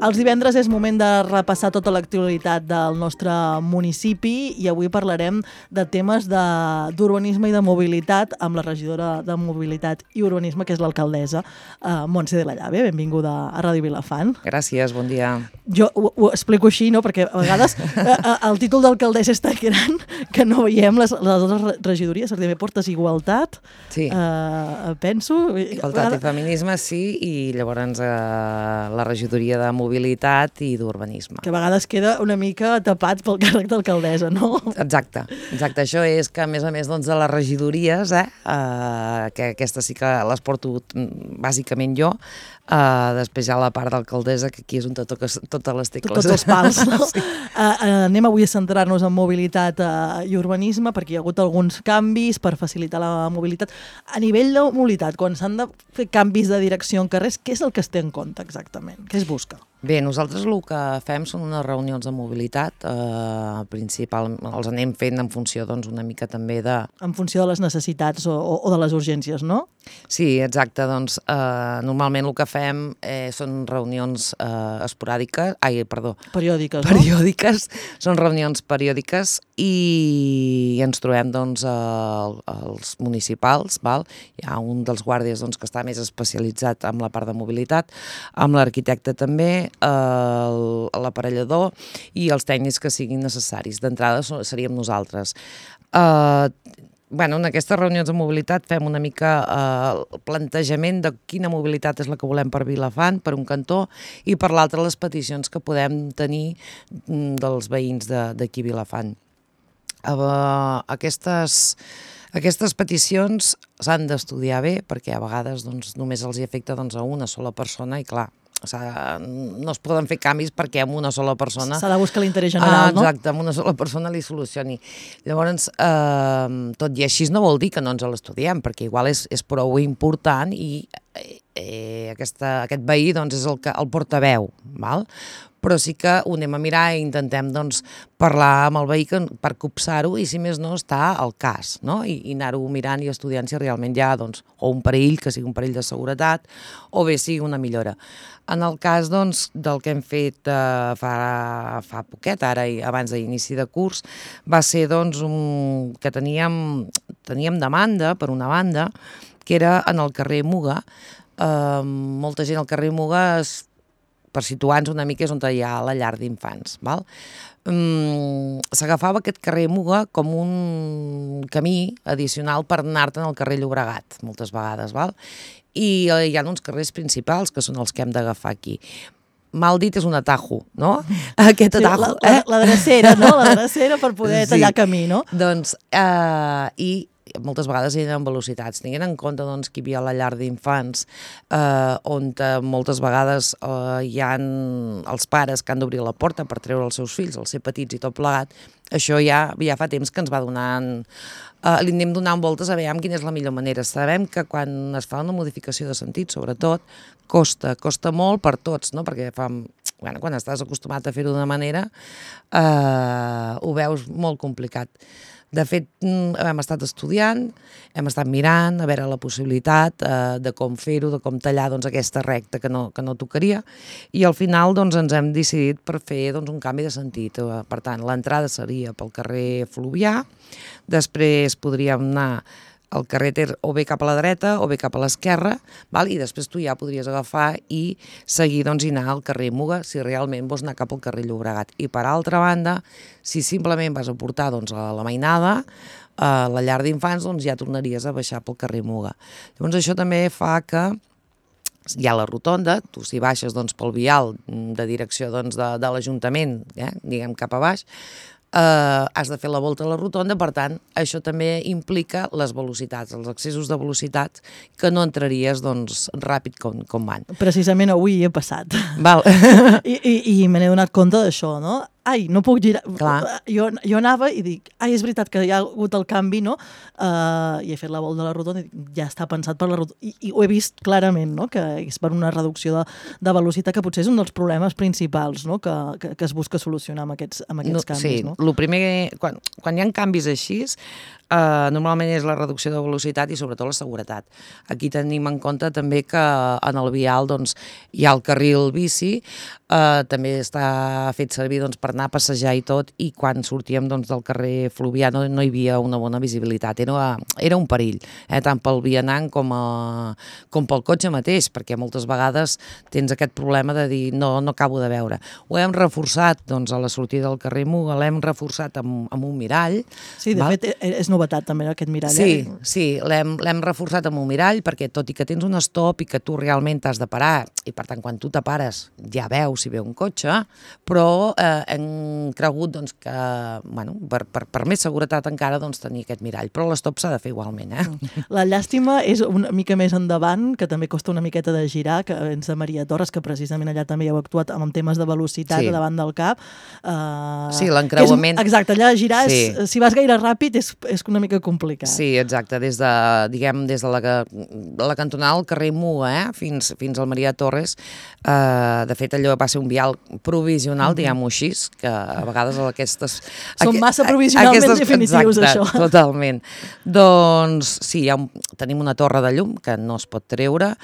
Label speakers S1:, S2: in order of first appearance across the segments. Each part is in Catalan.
S1: Els divendres és moment de repassar tota l'actualitat del nostre municipi i avui parlarem de temes d'urbanisme i de mobilitat amb la regidora de Mobilitat i Urbanisme, que és l'alcaldessa Montse de la Llave. Benvinguda a Ràdio Vilafant.
S2: Gràcies, bon dia.
S1: Jo ho explico així, no? Perquè a vegades el títol d'alcaldessa és tan gran que no veiem les altres regidories. També portes igualtat,
S2: sí.
S1: Penso.
S2: Igualtat i feminisme, sí, i llavors la regidoria de Mobilitat i d'Urbanisme.
S1: Que a vegades queda una mica tapat pel càrrec d'alcaldessa, no?
S2: Exacte. Això és que, a més doncs, de les regidories, que aquestes sí que les porto bàsicament jo, després hi ha la part d'alcaldessa, que aquí és on totes les tecles.
S1: Tots els pals, no?
S2: Sí.
S1: Anem avui a centrar-nos en mobilitat i urbanisme, perquè hi ha hagut alguns canvis per facilitar la mobilitat. A nivell de mobilitat, quan s'han de fer canvis de direcció en carrers, què és el que es té en compte exactament? Què es busca?
S2: Bé, nosaltres el que fem són unes reunions de mobilitat, principalment els anem fent en funció doncs, una mica també de...
S1: En funció de les necessitats o de les urgències, no?
S2: Sí, exacte. Doncs normalment el que fem són reunions periòdiques, són reunions periòdiques i ens trobem doncs, els municipals, val? Hi ha un dels guàrdies doncs, que està més especialitzat en la part de mobilitat, amb l'arquitecte també, l'aparellador i els tècnics que siguin necessaris. D'entrada seríem nosaltres. En aquestes reunions de mobilitat fem una mica el plantejament de quina mobilitat és la que volem per Vilafant, per un cantó, i per l'altre les peticions que podem tenir dels veïns d'aquí Vilafant. Aquestes peticions s'han d'estudiar bé perquè a vegades només els afecta a una sola persona i clar, no es poden fer canvis perquè amb una sola persona...
S1: S'ha de buscar l'interès general, no?
S2: Exacte, amb una sola persona li solucioni. Llavors, tot i així no vol dir que no ens l'estudiem, perquè igual és prou important i aquest veí és el portaveu, val? Però sí que ho anem a mirar i intentem parlar amb el veí per copsar-ho i si més no està al cas, no? I anar-ho mirant i estudiant si realment hi ha o un perill, que sigui un perill de seguretat, o bé sigui una millora. En el cas del que hem fet fa poquet, ara abans d'inici de curs, va ser que teníem demanda, per una banda, que era en el carrer Muga. Molta gent al carrer Muga, per situar-nos una mica, és on hi ha la llar d'infants. S'agafava aquest carrer Muga com un camí addicional per anar-te'n al carrer Llobregat, moltes vegades. I hi ha uns carrers principals, que són els que hem d'agafar aquí. Mal dit és un atajo, no? Aquest atajo.
S1: La drecera, no? La drecera per poder tallar camí, no?
S2: I moltes vegades eren en velocitats. Tinguent en compte que hi havia la llar d'infants, on moltes vegades hi ha els pares que han d'obrir la porta per treure els seus fills, els ser petits i tot plegat. Això ja fa temps que ens va donant... Li anem donant voltes a veure quina és la millor manera. Sabem que quan es fa una modificació de sentit, sobretot, costa molt per tots, no? Perquè quan estàs acostumat a fer-ho d'una manera, ho veus molt complicat. De fet, hem estat estudiant, hem estat mirant a veure la possibilitat de com fer-ho, de com tallar aquesta recta que no tocaria, i al final ens hem decidit per fer un canvi de sentit. Per tant, l'entrada seria pel carrer Fluvià, després podríem anar el carrer Ter o bé cap a la dreta o bé cap a l'esquerra, i després tu ja podries agafar i seguir i anar al carrer Muga si realment vols anar cap al carrer Llobregat. I per altra banda, si simplement vas a portar a la Mainada, a la llar d'infants, ja tornaries a baixar pel carrer Muga. Llavors això també fa que hi ha la rotonda, tu si baixes pel vial de direcció de l'Ajuntament, diguem cap a baix, has de fer la volta a la rotonda, per tant, això també implica les velocitats, els excessos de velocitat, que no entraries ràpid com van.
S1: Precisament avui he passat.
S2: Val.
S1: I me n'he donat compte d'això, no? Ai, no puc girar.
S2: Clar.
S1: Jo anava i dic, és veritat que hi ha hagut el canvi, no? I he fet la volta de la rotonda i dic, ja està pensat per la rotonda. I ho he vist clarament, no? Que és per una reducció de velocitat, que potser és un dels problemes principals, no? Que es busca solucionar amb aquests canvis, no?
S2: El primer, quan hi ha canvis així, normalment és la reducció de velocitat i sobretot la seguretat. Aquí tenim en compte també que en el vial doncs, hi ha el carril bici, també està fet servir doncs, per anar a passejar i tot, i quan sortíem doncs, del carrer Fluvià no hi havia una bona visibilitat, era un perill, tant pel vianant com pel cotxe mateix, perquè moltes vegades tens aquest problema de dir no acabo de veure. Ho hem reforçat doncs, a la sortida del carrer Muga, l'hem reforçat amb un mirall.
S1: Sí, de fet és novetat també aquest mirall.
S2: Sí, l'hem reforçat amb un mirall perquè tot i que tens un stop i que tu realment t'has de parar, i per tant quan tu te pares ja veus si ve un cotxe, però hem cregut doncs, que per més seguretat encara doncs, tenir aquest mirall, però l'estop s'ha de fer igualment.
S1: La llàstima és una mica més endavant, que també costa una miqueta de girar, que ens de Maria Torres, que precisament allà també heu actuat amb temes de velocitat davant del cap.
S2: Sí, l'encreuament.
S1: Exacte, allà girar, si vas gaire ràpid, és una mica complicat.
S2: Sí, exacte, des de la cantonada del carrer Muga fins al Maria Torres. De fet, allò va ser un vial provisional, diguem-ho així, que a vegades aquestes...
S1: Són massa provisionalment definitius,
S2: exacte,
S1: això.
S2: Totalment. Doncs sí, tenim una torre de llum que no es pot treure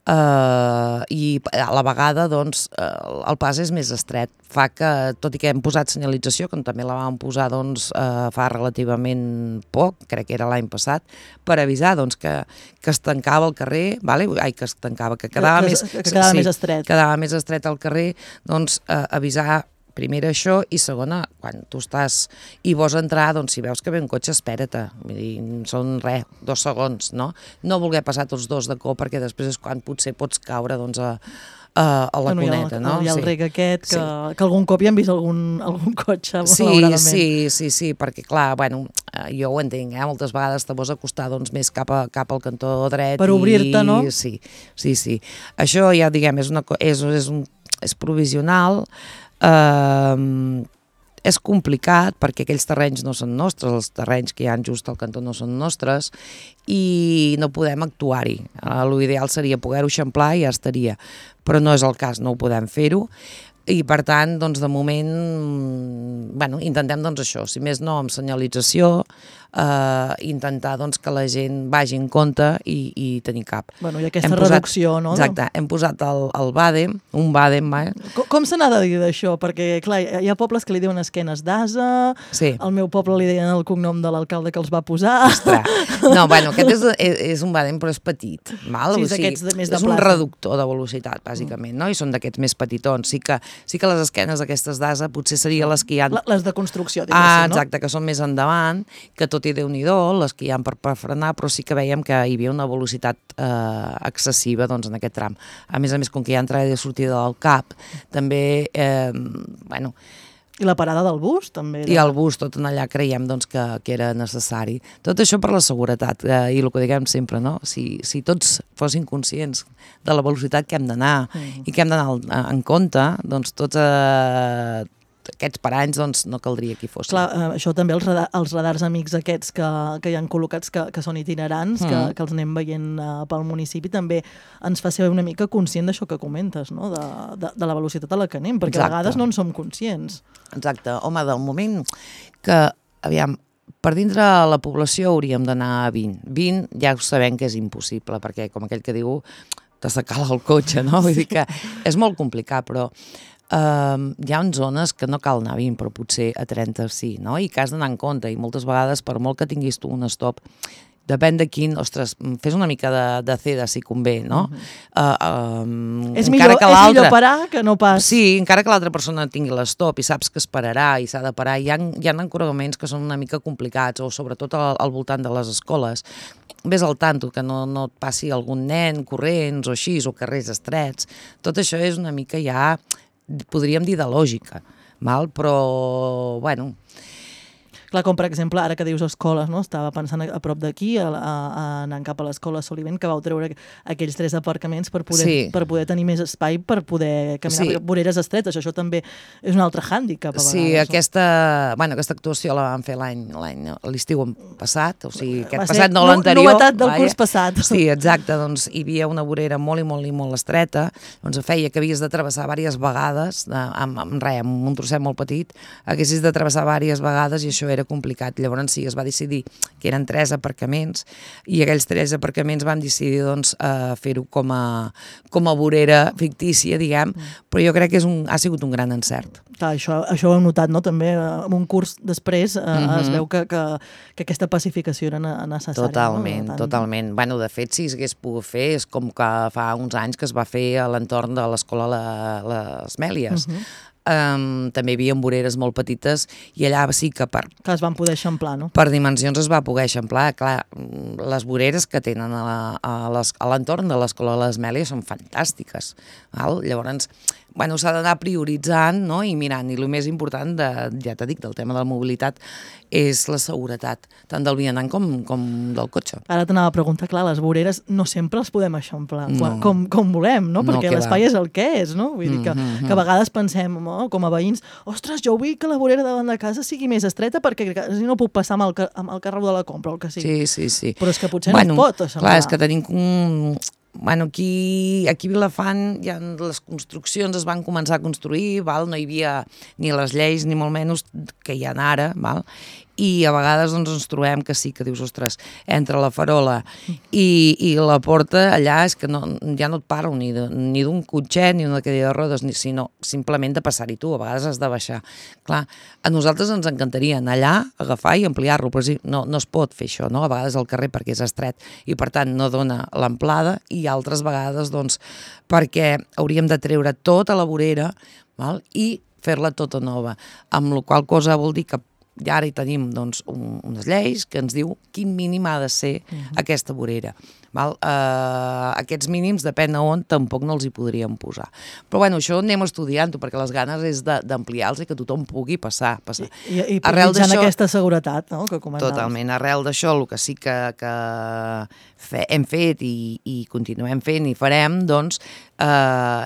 S2: i a la vegada doncs, el pas és més estret. Fa que, tot i que hem posat senyalització, que també la vam posar doncs, fa relativament poc, crec que era l'any passat, per avisar doncs, que es tancava el carrer, que quedava més estret. Quedava més estret al carrer, doncs avisar primera això i segona, quan tu estàs i vols entrar, doncs si veus que ve un cotxe, espera't. Són 2 segons, no? No voler passar tots dos de cop perquè després és quan potser pots caure doncs, a la cuneta, no?
S1: Hi ha el rec aquest, que algun cop hi hem vist algun cotxe, malauradament.
S2: Sí, perquè clar, jo ho entenc, moltes vegades te vols acostar doncs, més cap al cantó dret.
S1: Per obrir-te, no?
S2: Sí. Això ja, diguem, és provisional, és complicat perquè aquells terrenys no són nostres, els terrenys que hi ha just al cantó no són nostres i no podem actuar-hi. L'ideal seria poder-ho eixamplar i ja estaria, però no és el cas, no ho podem fer-ho i per tant, doncs, de moment intentem doncs, això, si més no amb senyalització, intentar doncs, que la gent vagi en compte i tenir cap.
S1: I aquesta reducció, no?
S2: Exacte, hem posat el BADEM, un BADEM.
S1: Com se n'ha de dir d'això? Perquè, clar, hi ha pobles que li diuen esquenes d'ase, al meu poble li deien el cognom de l'alcalde que els va posar.
S2: Ostres, no, aquest és un BADEM però és petit, val?
S1: Sí, és d'aquests més de plaça.
S2: És un reductor de velocitat, bàsicament, no? I són d'aquests més petitons. Sí que les esquenes aquestes d'ase potser serien les que hi ha...
S1: Les de construcció, diguéssim, no?
S2: Exacte, que són més endavant, que tot i Déu-n'hi-do, les que hi ha per frenar, però sí que veiem que hi havia una velocitat excessiva doncs, en aquest tram. A més, com que hi ha entrada i sortida del CAP, també,
S1: I la parada del bus, també?
S2: I el bus, tot en allà creiem doncs, que era necessari. Tot això per la seguretat, i el que diguem sempre, no? Si tots fossin conscients de la velocitat que hem d'anar i que hem d'anar en compte, doncs tots aquests paranys doncs, no caldria que hi fossin.
S1: Clar, això també els radars amics aquests que hi han col·locats, que són itinerants, que els anem veient pel municipi, també ens fa ser una mica conscient d'això que comentes, no? De la velocitat a la que anem, perquè a vegades no en som conscients.
S2: Exacte. Home, del moment que, aviam, per dintre la població hauríem d'anar a 20. 20 ja ho sabem que és impossible, perquè com aquell que diu, t'assecala el cotxe, no? Vull dir que és molt complicat, però hi ha zones que no cal anar a 20, però potser a 30 sí, no? I que has d'anar en compte, i moltes vegades, per molt que tinguis tu un stop, depèn de quin, ostres, fes una mica de ceda si convé, no?
S1: És millor parar que no pas.
S2: Sí, encara que l'altra persona tingui l'estop i saps que esperarà i s'ha de parar, hi ha encoraments que són una mica complicats, o sobretot al voltant de les escoles. Ves al tanto, que no et passi algun nen corrents o així, o carrers estrets. Tot això és una mica ja, podríem dir, de lògica, però,
S1: Clar, com per exemple, ara que dius escoles, no? Estava pensant a prop d'aquí, anant cap a l'escola Soliven, que vau treure aquells 3 aparcaments per poder tenir més espai, per poder caminar per voreres estretes. Això també és un altre hàndicap, a vegades.
S2: Sí, aquesta actuació la vam fer l'estiu passat, o sigui, aquest passat, no l'anterior.
S1: Novetat del curs passat.
S2: Sí, exacte, doncs hi havia una vorera molt i molt estreta, doncs feia que havies de travessar diverses vegades, amb un trosset molt petit, haguessis de travessar diverses vegades i això era era complicat. Llavors sí, es va decidir que eren 3 aparcaments i aquells 3 aparcaments vam decidir doncs, fer-ho com a vorera fictícia, diguem, però jo crec que ha sigut un gran encert.
S1: Clar, això ho hem notat, no? També en un curs després es veu que aquesta pacificació era necessària.
S2: Totalment, totalment. Bueno, de fet, si s'hagués pogut fer, és com que fa uns anys que es va fer a l'entorn de l'escola Les Mèlies. També hi havia voreres molt petites i allà sí que
S1: que es van poder eixamplar, no?
S2: Per dimensions es va poder eixamplar. Clar, les voreres que tenen a l'entorn de l'escola de les Mèlies són fantàstiques. Val? Llavors, bueno, s'ha d'anar prioritzant, no? I mirant. I el més important, ja t'he dit, del tema de la mobilitat, és la seguretat, tant del vianant com del cotxe.
S1: Ara t'anava a preguntar, clar, les voreres no sempre les podem eixamplar com volem, no? Perquè l'espai és el que és, no? Vull dir que a vegades pensem, com a veïns, ostres, jo vull que la vorera davant de casa sigui més estreta perquè si no puc passar amb el carro de la compra o el que sigui.
S2: Sí.
S1: Però és que potser no es pot eixamplar.
S2: Clar, és que tenim aquí a Vilafant ja les construccions es van començar a construir, no hi havia ni les lleis ni molt menys que hi ha ara, i a vegades ens trobem que sí, que dius, ostres, entre la farola i la porta allà és que ja no et parlo ni d'un cotxet ni d'una cadira de rodes, sinó simplement de passar-hi tu, a vegades has de baixar. Clar, a nosaltres ens encantaria anar allà, agafar i ampliar-lo, però sí, no es pot fer això, no? A vegades al carrer perquè és estret i per tant no dona l'amplada i altres vegades doncs perquè hauríem de treure tota la vorera i fer-la tota nova, amb la qual cosa vol dir que ja ara hi tenim doncs, unes lleis que ens diu quin mínim ha de ser aquesta vorera. Aquests mínims, depèn on, tampoc no els hi podríem posar. Però bueno, això anem estudiant-ho, perquè les ganes és d'ampliar-los i que tothom pugui passar.
S1: I prioritzant aquesta seguretat, no?, que comentaves.
S2: Totalment. Arrel d'això, el que sí que hem fet i continuem fent i farem, doncs,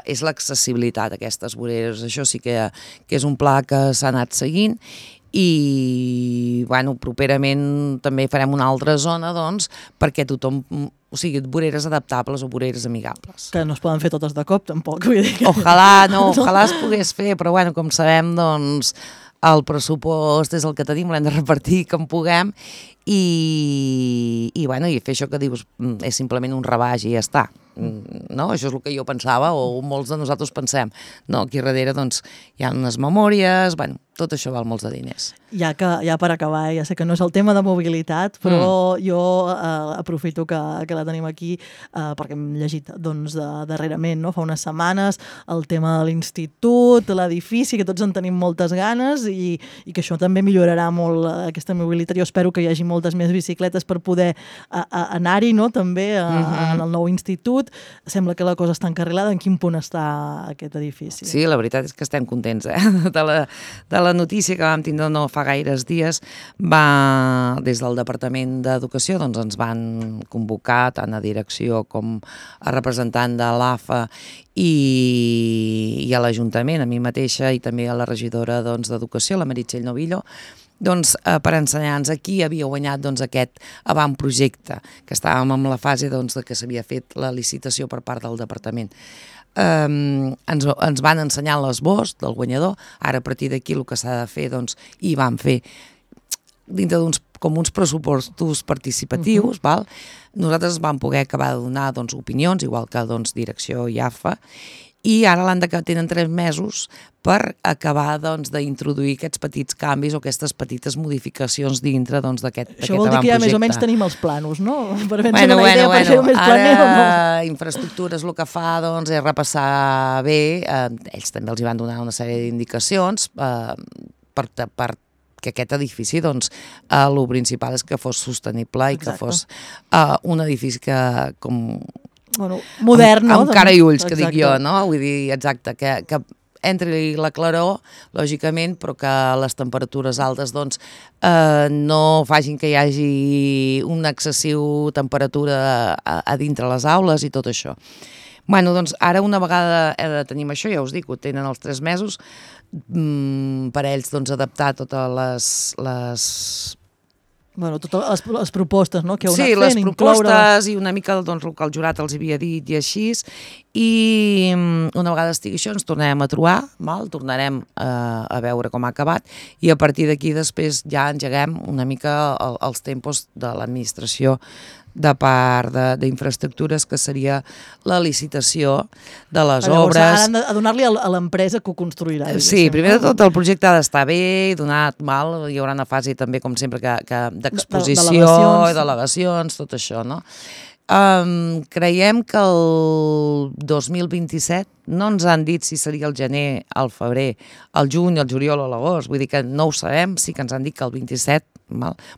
S2: és l'accessibilitat a aquestes voreres. Això sí que és un pla que s'ha anat seguint i, bueno, properament també farem una altra zona, doncs, perquè tothom, o sigui, voreres adaptables o voreres amigables.
S1: Que no es poden fer totes de cop, tampoc, vull dir que...
S2: Ojalà es pogués fer, però, bueno, com sabem, doncs, el pressupost és el que tenim, l'hem de repartir com puguem i fer això que dius és simplement un rebaix i ja està. No? Això és el que jo pensava o molts de nosaltres pensem. No, aquí darrere doncs, hi ha unes memòries, bueno, tot això val molts de diners.
S1: Ja per acabar, ja sé que no és el tema de mobilitat, però jo aprofito que la tenim aquí perquè hem llegit doncs, darrerament, no? Fa unes setmanes, el tema de l'institut, l'edifici, que tots en tenim moltes ganes i que això també millorarà molt aquesta mobilitat. Jo espero que hi hagi moltes més bicicletes per poder anar-hi, no? També en el nou institut. Sembla que la cosa està encarrilada. En quin punt està aquest edifici?
S2: Sí, la veritat és que estem contents de la notícia que vam tindre no fa gaires dies. Des del Departament d'Educació doncs, ens van convocar tant a direcció com a representant de l'AFA i a l'Ajuntament, a mi mateixa i també a la regidora d'Educació, la Meritxell Novillo, doncs, per ensenyar-nos qui havia guanyat aquest avantprojecte, que estàvem en la fase de que s'havia fet la licitació per part del departament. Ens van ensenyar l'esbós del guanyador, ara a partir d'aquí el que s'ha de fer, doncs, i van fer dintre uns pressupostos participatius, val? Nosaltres vam poder acabar de donar opinions, igual que direcció i AFA, i ara tenen 3 mesos per acabar d'introduir aquests petits canvis o aquestes petites modificacions dintre d'aquest avantprojecte.
S1: Això vol dir que ja més o menys tenim els planos, no? Per fer-nos una idea, per ser més planer o no?
S2: Ara Infraestructures el que fa és repassar bé, ells també els hi van donar una sèrie d'indicacions per que aquest edifici, el principal és que fos sostenible i que fos un edifici que
S1: modern, no?
S2: Amb cara i ulls, que dic jo, no? Vull dir, exacte, que entri la claror, lògicament, però que les temperatures altes no facin que hi hagi una excessiu temperatura a dintre les aules i tot això. Bueno, doncs ara una vegada tenim això, ja us dic, ho tenen els 3 mesos, per a ells adaptar totes les
S1: propostes, no? Que heu anat fent,
S2: les propostes i una mica el que el jurat els havia dit i així, i una vegada estigui això ens tornarem a trobar, tornarem a veure com ha acabat i a partir d'aquí després ja engeguem una mica els tempos de l'administració de part d'infraestructures, que seria la licitació de les obres.
S1: Ara han de donar-li a l'empresa que ho construirà.
S2: Sí, primer de tot el projecte ha d'estar bé, donat, hi haurà una fase també, com sempre, d'exposició, delegacions, tot això, no? Creiem que el 2027 no ens han dit si seria el gener, el febrer, el juny, el juliol o l'agost, vull dir que no ho sabem, sí que ens han dit que el 27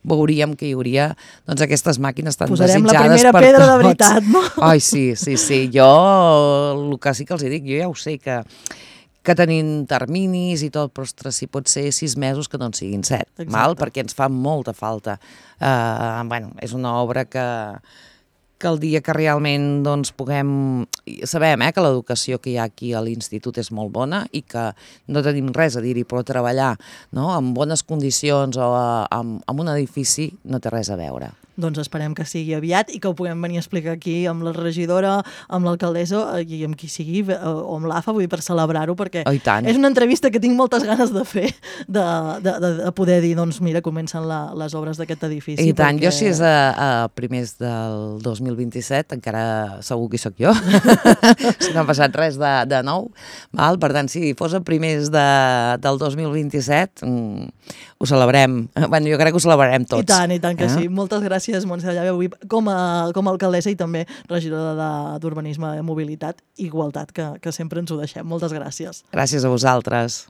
S2: veuríem que hi hauria aquestes màquines tan desitjades per tots.
S1: Posarem la primera pedra de veritat, no?
S2: Ai, sí, jo el que sí que els dic, jo ja ho sé que tenim terminis i tot, però ostres, si pot ser 6 mesos que no en siguin 7, perquè ens fa molta falta. És una obra que el dia que realment puguem... Sabem que l'educació que hi ha aquí a l'institut és molt bona i que no tenim res a dir-hi, però treballar en bones condicions o en un edifici no té res a veure.
S1: Doncs esperem que sigui aviat i que ho puguem venir a explicar aquí amb la regidora, amb l'alcaldessa i amb qui sigui, o amb l'AFA, vull dir, per celebrar-ho, perquè és una entrevista que tinc moltes ganes de fer, de poder dir, doncs mira, comencen les obres d'aquest edifici.
S2: I tant, jo si és a primers del 2027, encara segur que hi soc jo, si no ha passat res de nou, per tant, si fos a primers del 2027, ho celebrem. Jo crec que ho celebrarem tots.
S1: I tant que sí. Moltes gràcies, Montse de Llave, avui com a alcaldessa i també regidora d'Urbanisme, Mobilitat i Igualtat, que sempre ens ho deixem. Moltes gràcies.
S2: Gràcies a vosaltres.